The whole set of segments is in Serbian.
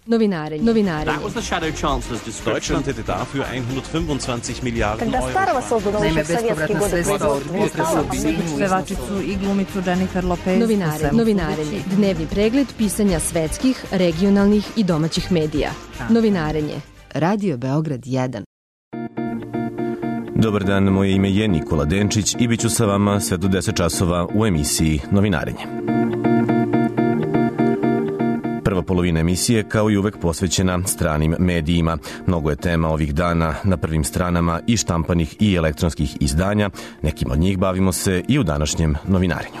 Novinarenje. That was the Shadow Chancellor's description. Deutschland hätte dafür 125 Milijarden Euro. Naime, bespovratna sredstva od pevačicu i glumicu Jennifer Lopez. Novinarenje. Dnevni pregled pisanja svetskih, regionalnih i domaćih medija. Novinarenje. Radio Beograd 1. Dobar dan, moje ime je Nikola Denčić i bit ću sa vama sve do 10 časova u emisiji Novinarenje. Prva polovina emisije, kao i uvek, posvećena stranim medijima. Mnogo je tema ovih dana na prvim stranama i štampanih i elektronskih izdanja. Nekim od njih bavimo se i u današnjem Novinarenju.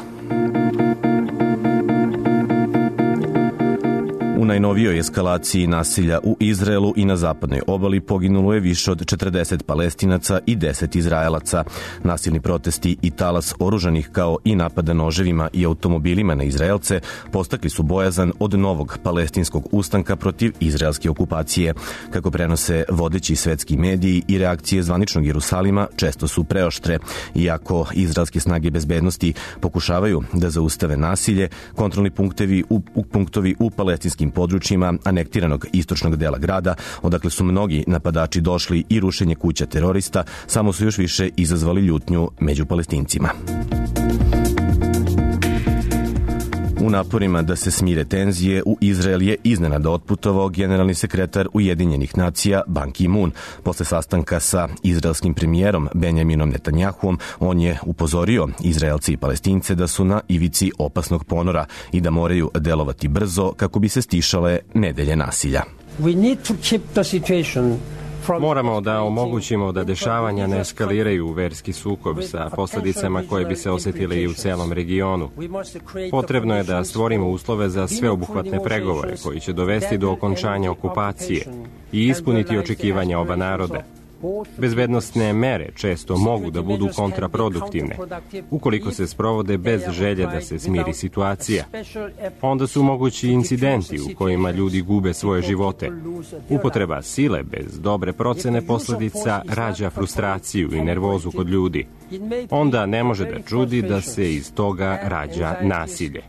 U najnovijoj eskalaciji nasilja u Izraelu i na zapadnoj obali poginulo je više od 40 Palestinaca i 10 Izraelaca. Nasilni protesti i talas oružanih kao i napada noževima i automobilima na Izraelce postakli su bojazan od novog palestinskog ustanka protiv izraelske okupacije. Kako prenose vodeći svetski mediji, i reakcije zvaničnog Jerusalima često su preoštre. Iako izraelske snage bezbednosti pokušavaju da zaustave nasilje, kontrolni punktovi u palestinskim područjima anektiranog istočnog dela grada, odakle su mnogi napadači došli, i rušenje kuća terorista, samo su još više izazvali ljutnju među Palestincima. U naporima da se smire tenzije, u Izrael je iznenada otputovao generalni sekretar Ujedinjenih nacija Ban Ki-moon. Posle sastanka sa izraelskim premijerom Benjaminom Netanjahuom, on je upozorio Izraelce i Palestince da su na ivici opasnog ponora i da moraju delovati brzo kako bi se stišale nedelje nasilja. Moramo da omogućimo da dešavanja ne eskaliraju u verski sukob sa posledicama koje bi se osetile i u celom regionu. Potrebno je da stvorimo uslove za sveobuhvatne pregovore koji će dovesti do okončanja okupacije i ispuniti očekivanja oba naroda. Bezbednosne mere često mogu da budu kontraproduktivne ukoliko se sprovode bez želje da se smiri situacija. Onda su mogući incidenti u kojima ljudi gube svoje živote. Upotreba sile bez dobre procene posledica rađa frustraciju i nervozu kod ljudi. Onda ne može da čudi da se iz toga rađa nasilje.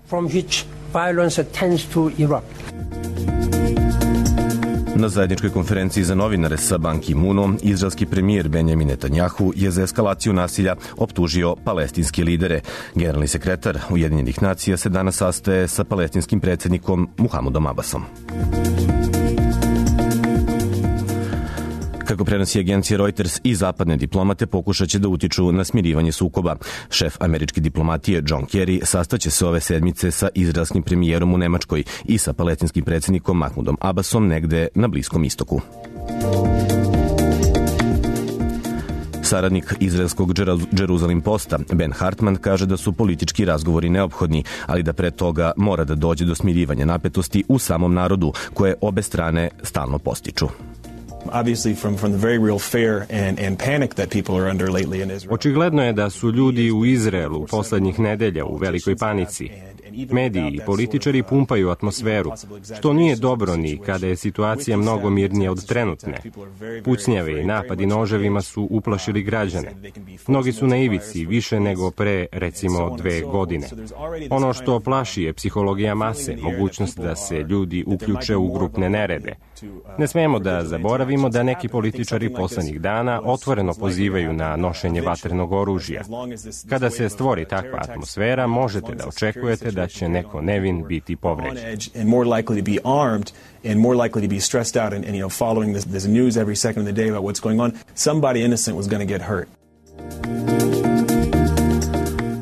Na zajedničkoj konferenciji za novinare sa Ban Ki-moonom, izraelski premijer Benjamin Netanjahu je za eskalaciju nasilja optužio palestinske lidere. Generalni sekretar Ujedinjenih nacija se danas sastaje sa palestinskim predsjednikom Muhamedom Abbasom. Kako prenosi agencija Reuters, i zapadne diplomate pokušat će da utiču na smirivanje sukoba. Šef američke diplomatije John Kerry sastaće se ove sedmice sa izraelskim premijerom u Nemačkoj i sa palestinskim predsjednikom Mahmudom Abbasom negde na Bliskom istoku. Saradnik izraelskog Jerusalem Posta Ben Hartman kaže da su politički razgovori neophodni, ali da pre toga mora da dođe do smirivanja napetosti u samom narodu, koje obe strane stalno postiču. Očigledno je da su ljudi u Izraelu poslednjih nedelja u velikoj panici. Mediji i političari pumpaju atmosferu, što nije dobro ni kada je situacija mnogo mirnija od trenutne. Pucnjave i napadi noževima su uplašili građane. Mnogi su na ivici više nego pre, recimo, 2 godine. Ono što plaši je psihologija mase, mogućnost da se ljudi uključe u grupne nerede. Ne smemo da zaboravimo da neki političari poslednjih dana otvoreno pozivaju na nošenje vatrenog oružja. Kada se stvori takva atmosfera, možete da očekujete da će neko nevin biti povređen. And more likely to be stressed out and following this news every second of the day about what's going on, somebody innocent was going to get hurt.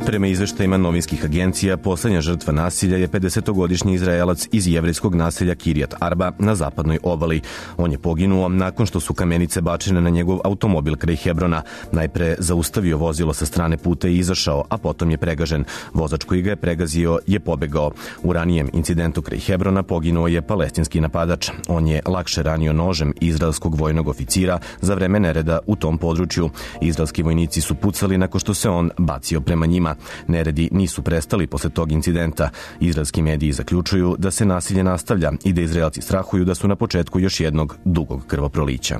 Prema izveštajima novinskih agencija, poslednja žrtva nasilja je 50-godišnji Izraelac iz jevrejskog naselja Kiryat Arba na zapadnoj obali. On je poginuo nakon što su kamenice bačene na njegov automobil kraj Hebrona. Najpre zaustavio vozilo sa strane puta i izašao, a potom je pregažen. Vozač koji ga je pregazio je pobegao. U ranijem incidentu kraj Hebrona poginuo je palestinski napadač. On je lakše ranio nožem izraelskog vojnog oficira za vreme nereda u tom području. Izraelski vojnici su pucali nakon što se on bacio prema njima. Neredi nisu prestali posle tog incidenta. Izraelski mediji zaključuju da se nasilje nastavlja i da Izraelci strahuju da su na početku još jednog dugog krvoprolića.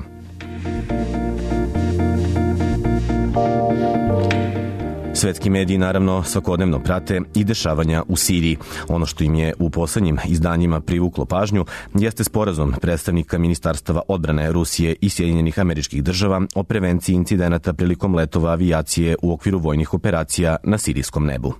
Svetski mediji naravno svakodnevno prate i dešavanja u Siriji. Ono što im je u poslednjim izdanjima privuklo pažnju jeste sporazum predstavnika Ministarstava odbrane Rusije i Sjedinjenih Američkih Država o prevenciji incidenata prilikom letova avijacije u okviru vojnih operacija na sirijskom nebu.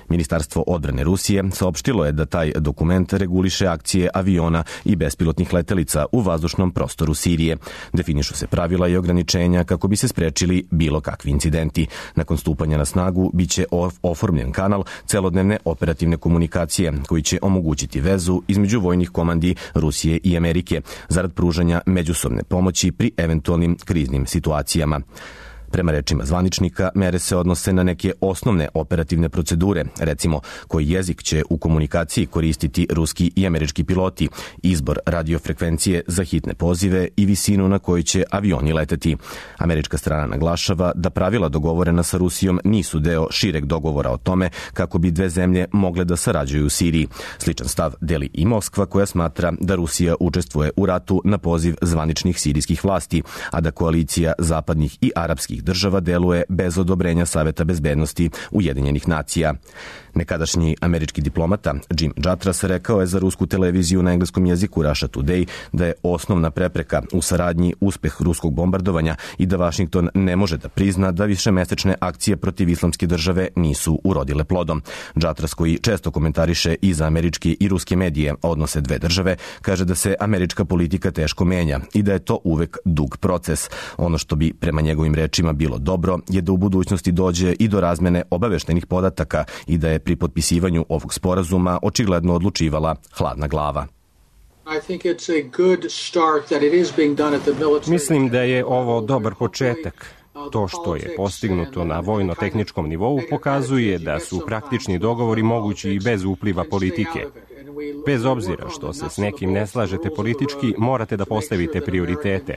Ministarstvo odbrane Rusije saopštilo je da taj dokument reguliše akcije aviona i bespilotnih letelica u vazdušnom prostoru Sirije. Definišu se pravila i ograničenja kako bi se sprečili bilo kakvi incidenti. Nakon stupanja na snagu biće oformljen kanal celodnevne operativne komunikacije koji će omogućiti vezu između vojnih komandi Rusije i Amerike zarad pružanja međusobne pomoći pri eventualnim kriznim situacijama. Prema rečima zvaničnika, mere se odnose na neke osnovne operativne procedure, recimo koji jezik će u komunikaciji koristiti ruski i američki piloti, izbor radiofrekvencije za hitne pozive i visinu na kojoj će avioni leteti. Američka strana naglašava da pravila dogovorena sa Rusijom nisu deo šireg dogovora o tome kako bi dve zemlje mogle da sarađuju u Siriji. Sličan stav deli i Moskva, koja smatra da Rusija učestvuje u ratu na poziv zvaničnih sirijskih vlasti, a da koalicija zapadnih i arapskih država deluje bez odobrenja Saveta bezbednosti Ujedinjenih nacija. Nekadašnji američki diplomata Jim Jatras rekao je za rusku televiziju na engleskom jeziku Russia Today da je osnovna prepreka u saradnji uspeh ruskog bombardovanja i da Vašington ne može da prizna da višemesečne akcije protiv islamske države nisu urodile plodom. Jatras, koji često komentariše i za američke i ruske medije odnose dve države, kaže da se američka politika teško menja i da je to uvek dug proces. Ono što bi prema njegovim rečima bilo dobro je da u budućnosti dođe i do razmene obaveštenih podataka i da je pri potpisivanju ovog sporazuma očigledno odlučivala hladna glava. Mislim da je ovo dobar početak. To što je postignuto na vojno-tehničkom nivou pokazuje da su praktični dogovori mogući i bez upliva politike. Bez obzira što se s nekim ne slažete politički, morate da postavite prioritete,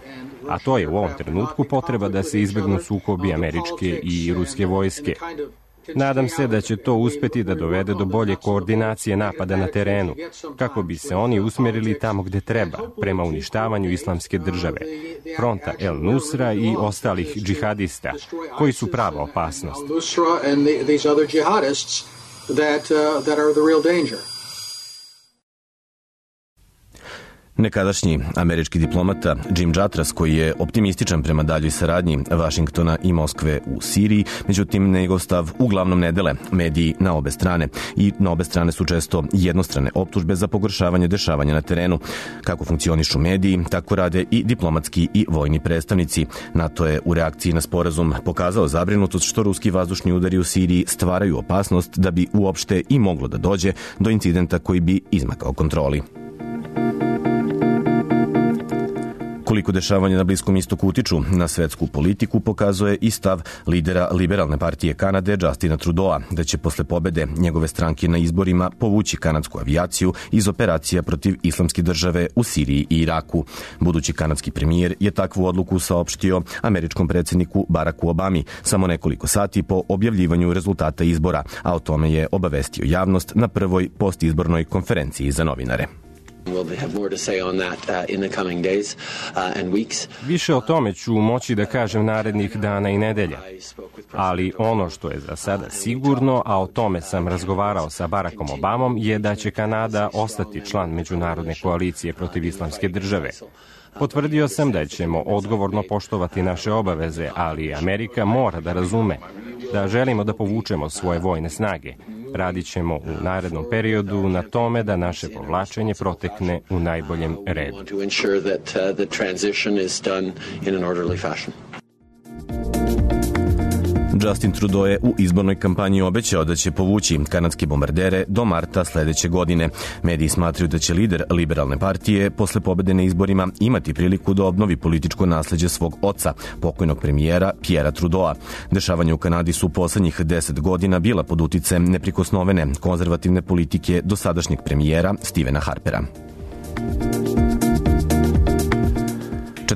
a to je u ovom trenutku potreba da se izbegnu sukobi američke i ruske vojske. Nadam se da će to uspeti da dovede do bolje koordinacije napada na terenu, kako bi se oni usmerili tamo gde treba, prema uništavanju islamske države, fronta El Nusra i ostalih džihadista, koji su prava opasnost. Nekadašnji američki diplomata Jim Jatras, koji je optimističan prema daljoj saradnji Vašingtona i Moskve u Siriji, međutim njegov stav uglavnom ne dele mediji na obe strane i na obe strane su često jednostrane optužbe za pogoršavanje dešavanja na terenu. Kako funkcionišu mediji, tako rade i diplomatski i vojni predstavnici. NATO je u reakciji na sporazum pokazao zabrinutost što ruski vazdušni udari u Siriji stvaraju opasnost da bi uopšte i moglo da dođe do incidenta koji bi izmakao kontroli. Koliko dešavanja na Bliskom istoku utiču na svetsku politiku pokazuje i stav lidera Liberalne partije Kanade Justina Trudeau, da će posle pobede njegove stranke na izborima povući kanadsku avijaciju iz operacija protiv islamske države u Siriji i Iraku. Budući kanadski premijer je takvu odluku saopštio američkom predsjedniku Baracku Obami samo nekoliko sati po objavljivanju rezultata izbora, a o tome je obavestio javnost na prvoj postizbornoj konferenciji za novinare. Više o tome ću moći da kažem narednih dana i nedelja. Ali ono što je za sada sigurno, a o tome sam razgovarao sa Barackom Obamom, je da će Kanada ostati član međunarodne koalicije protiv islamske države. Potvrdio sam da ćemo odgovorno poštovati naše obaveze, ali Amerika mora da razume da želimo da povučemo svoje vojne snage. Radit ćemo u narednom periodu na tome da naše povlačenje protekne u najboljem redu. Justin Trudeau je u izbornoj kampanji obećao da će povući kanadske bombardere do marta sledeće godine. Mediji smatraju da će lider Liberalne partije posle pobede na izborima imati priliku da obnovi političko nasleđe svog oca, pokojnog premijera Pierra Trudeau. Dešavanja u Kanadi su poslednjih 10 godina bila pod uticajem neprikosnovene konzervativne politike dosadašnjeg premijera Stephena Harpera.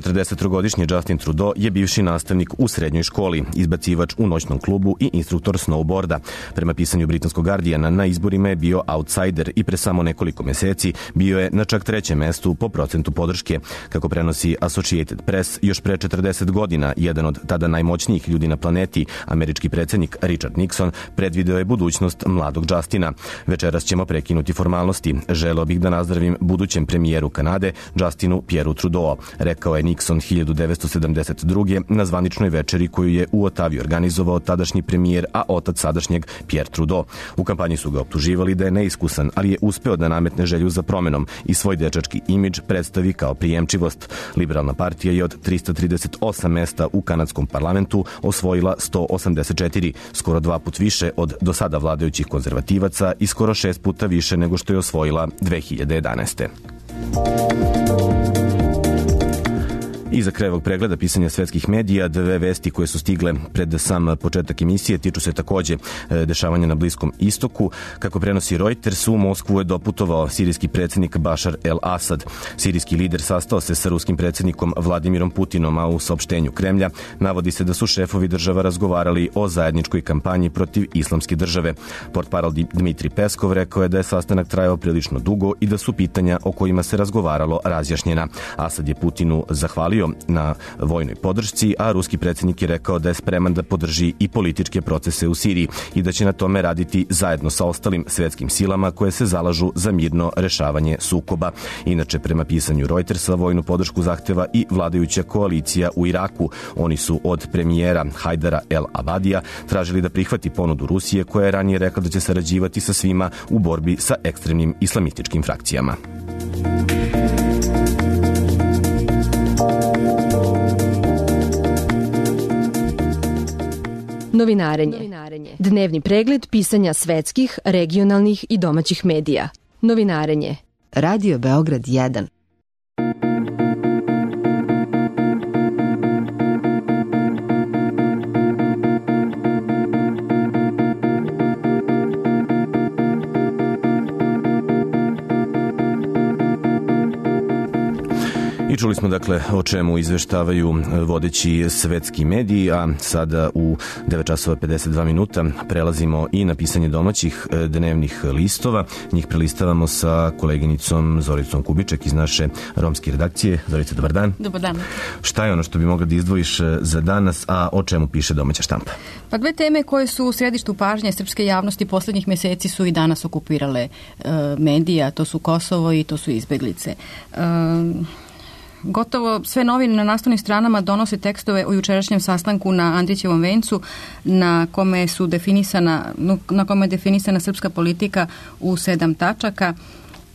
43-godišnji Justin Trudeau je bivši nastavnik u srednjoj školi, izbacivač u noćnom klubu i instruktor snowboarda. Prema pisanju britanskog Guardiana, na izborima je bio outsider i pre samo nekoliko meseci bio je na čak 3. mestu po procentu podrške. Kako prenosi Associated Press, još pre 40 godina jedan od tada najmoćnijih ljudi na planeti, američki predsjednik Richard Nixon, predvideo je budućnost mladog Justina. Večeras ćemo prekinuti formalnosti. Želeo bih da nazdravim budućem premijeru Kanade, Justinu Pierreu Trudeau, rekao je Nixon 1972. na zvaničnoj večeri koju je u Otavi organizovao tadašnji premijer, a otac sadašnjeg Pierre Trudeau. U kampanji su ga optuživali da je neiskusan, ali je uspeo da nametne želju za promenom i svoj dečački imidž predstavi kao prijemčivost. Liberalna partija je od 338 mesta u kanadskom parlamentu osvojila 184, skoro 2 put više od do sada vladajućih konzervativaca i skoro 6 puta više nego što je osvojila 2011. I za kraj ovog pregleda pisanja svetskih medija, 2 vesti koje su stigle pred sam početak emisije tiču se takođe dešavanja na Bliskom istoku. Kako prenosi Reuters, u Moskvu je doputovao sirijski predsjednik Bašar el-Asad. Sirijski lider sastao se sa ruskim predsjednikom Vladimirom Putinom, a u saopštenju Kremlja navodi se da su šefovi država razgovarali o zajedničkoj kampanji protiv islamske države. Portparol Dmitri Peskov rekao je da je sastanak trajao prilično dugo i da su pitanja o kojima se razgovaralo razjašnjena. Asad je Putinu zahvalio na vojnoj podršci, a ruski predsjednik je rekao da je spreman da podrži i političke procese u Siriji i da će na tome raditi zajedno sa ostalim svetskim silama koje se zalažu za mirno rešavanje sukoba. Inače, prema pisanju Reutersa, vojnu podršku zahteva i vladajuća koalicija u Iraku. Oni su od premijera Hajdara el-Abadija tražili da prihvati ponudu Rusije, koja je ranije rekla da će sarađivati sa svima u borbi sa ekstremnim islamističkim frakcijama. Novinarenje. Dnevni pregled pisanja svetskih, regionalnih i domaćih medija. Novinarenje. Radio Beograd 1. I čuli smo dakle o čemu izveštavaju vodeći svetski mediji, a sada u 9:52 prelazimo i na pisanje domaćih dnevnih listova. Njih prelistavamo sa koleginicom Zoricom Kubiček iz naše romske redakcije. Zorica, dobar dan. Dobar dan. Šta je ono što bi mogla da izdvojiš za danas, a o čemu piše domaća štampa? Pa 2 teme koje su u središtu pažnje srpske javnosti poslednjih meseci su i danas okupirale medija, to su Kosovo i to su izbeglice. Gotovo sve novine na naslovnim stranama donose tekstove o jučerašnjem sastanku na Andrićevom vencu na kome je definisana srpska politika u 7 tačaka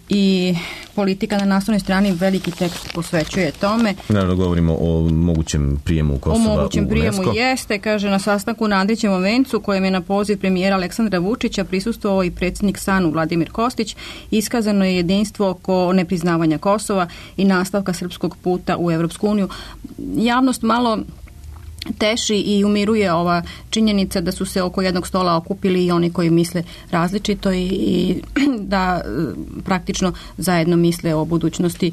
i politika na naslovnoj strani veliki tekst posvećuje tome. Naravno, govorimo o mogućem prijemu Kosova u UNESCO. O mogućem prijemu jeste, kaže, na sastanku na Andrićevom vencu, kojem je na poziv premijera Aleksandra Vučića prisustvovao i predsjednik SANU Vladimir Kostić, iskazano je jedinstvo oko nepriznavanja Kosova i nastavka srpskog puta u Evropsku uniju. Javnost malo teši i umiruje ova činjenica da su se oko jednog stola okupili i oni koji misle različito i da praktično zajedno misle o budućnosti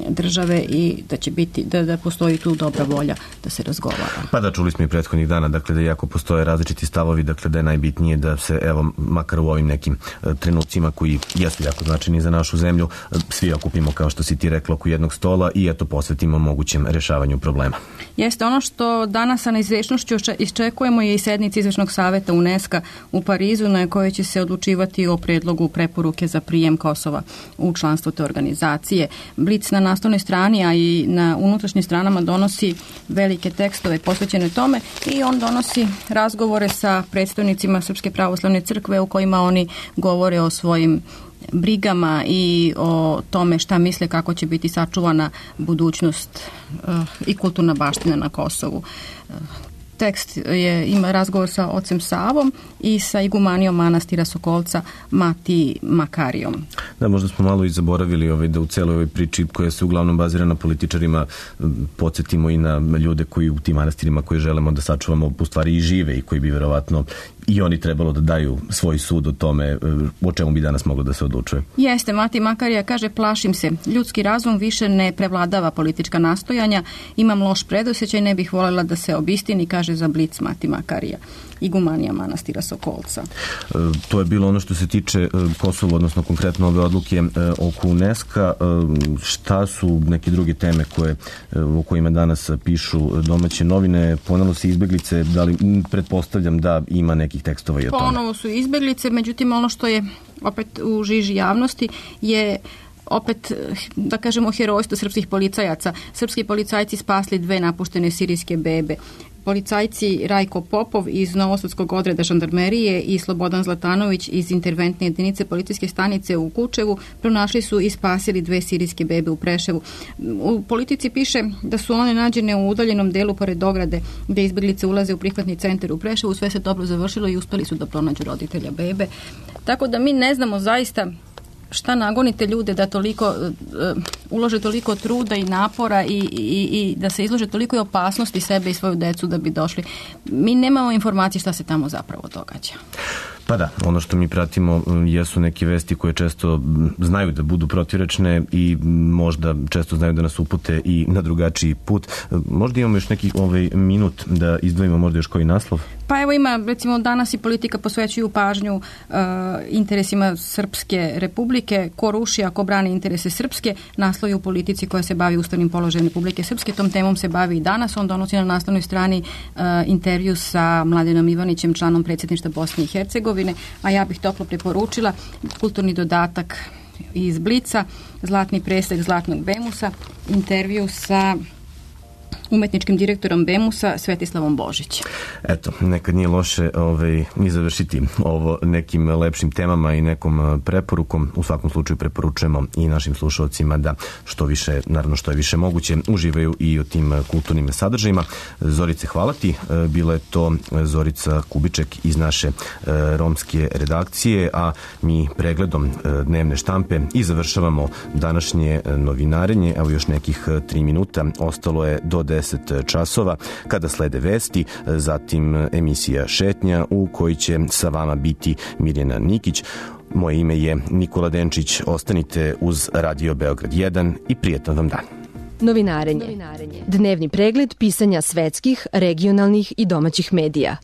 države i da će biti, da postoji tu dobra volja da se razgovara. Pa da, čuli smo i prethodnih dana, dakle da iako postoje različiti stavovi, dakle da je najbitnije da se, evo, makar u ovim nekim trenucima koji jesu jako značajni za našu zemlju, svi okupimo, kao što si ti rekla, oko jednog stola i eto posvetimo mogućem rešavanju problema. Jeste, ono što danas sa neizvešnošću iščekujemo je i sednici Izvršnog saveta UNESCO u Parizu, na kojoj će se odlučivati o predlogu preporuke za prijem Kosova u članstvo te organizacije. Blic na naslovnoj strani, a i na unutrašnjim stranama donosi velike tekstove posvećene tome i on donosi razgovore sa predstavnicima Srpske pravoslavne crkve u kojima oni govore o svojim brigama i o tome šta misle kako će biti sačuvana budućnost i kulturna baština na Kosovu. Tekst ima razgovor sa ocem Savom i sa igumanijom manastira Sokolca Matiji Makarijom. Da, možda smo malo i zaboravili da u celoj ovoj priči koja se uglavnom bazira na političarima podsjetimo i na ljude koji u tim manastirima koje želimo da sačuvamo u stvari i žive i koji bi verovatno i oni trebalo da daju svoj sud o tome o čemu bi danas moglo da se odlučuje. Jeste, Mati Makarija kaže, plašim se. Ljudski razum više ne prevladava politička nastojanja, imam loš predosjećaj, ne bih voljela da se obistini, kaže za Blic Mati Makarija, igumanija manastira Sokolca. To je bilo ono što se tiče Kosova, odnosno konkretno ove odluke oko UNESCO. Šta su neke druge teme o kojima danas pišu domaće novine? Ponovo su izbeglice, da li pretpostavljam da ima nekih tekstova i o tome? Ponovo su izbeglice, međutim ono što je opet u žiži javnosti je opet, da kažemo, herojstvo srpskih policajaca. Srpski policajci spasli 2 napuštene sirijske bebe. Policajci Rajko Popov iz Novosadskog odreda žandarmerije i Slobodan Zlatanović iz interventne jedinice policijske stanice u Kučevu pronašli su i spasili 2 sirijske bebe u Preševu. U Politici piše da su one nađene u udaljenom delu pored ograde gde izbeglice ulaze u prihvatni centar u Preševu. Sve se dobro završilo i uspeli su da pronađu roditelja bebe. Tako da mi ne znamo zaista šta nagonite ljude da toliko ulože toliko truda i napora i da se izlože toliko opasnosti sebe i svoju decu da bi došli. Mi nemamo informacije šta se tamo zapravo događa. Pa da, ono što mi pratimo jesu neke vesti koje često znaju da budu protivrečne i možda često znaju da nas upute i na drugačiji put. Možda imamo još neki minut da izdvojimo možda još koji naslov? Pa evo ima, recimo danas i Politika posvećuju pažnju interesima Srpske republike. Ko ruši, ako brani interese Srpske, naslovi u Politici koja se bavi ustavnim položajem Republike Srpske. Tom temom se bavi i danas. On donosi na naslovnoj strani intervju sa Mladenom Ivanićem, članom predsjedništva Bosne i Hercegovine, a ja bih toplo preporučila kulturni dodatak iz Blica, Zlatni presek Zlatnog Bemusa, intervju sa umetničkim direktorom Bemusa Svetislavom Božić. Eto, nekad nije loše ni završiti ovo nekim lepšim temama i nekom preporukom. U svakom slučaju preporučujemo i našim slušalcima da što više, naravno što je više moguće, uživaju i o tim kulturnim sadržajima. Zorice, hvala ti. Bila je to Zorica Kubiček iz naše romske redakcije, a mi pregledom dnevne štampe i završavamo današnje novinarenje. Evo još nekih 3 minuta. Ostalo je do 10 časova kada slede vesti, zatim emisija Šetnja u kojoj će sa vama biti Mirjana Nikić. Moje ime je Nikola Denčić. Ostanite uz Radio Beograd 1 i prijetan vam dan. Novinarenje. Dnevni pregled pisanja svetskih, regionalnih i domaćih medija.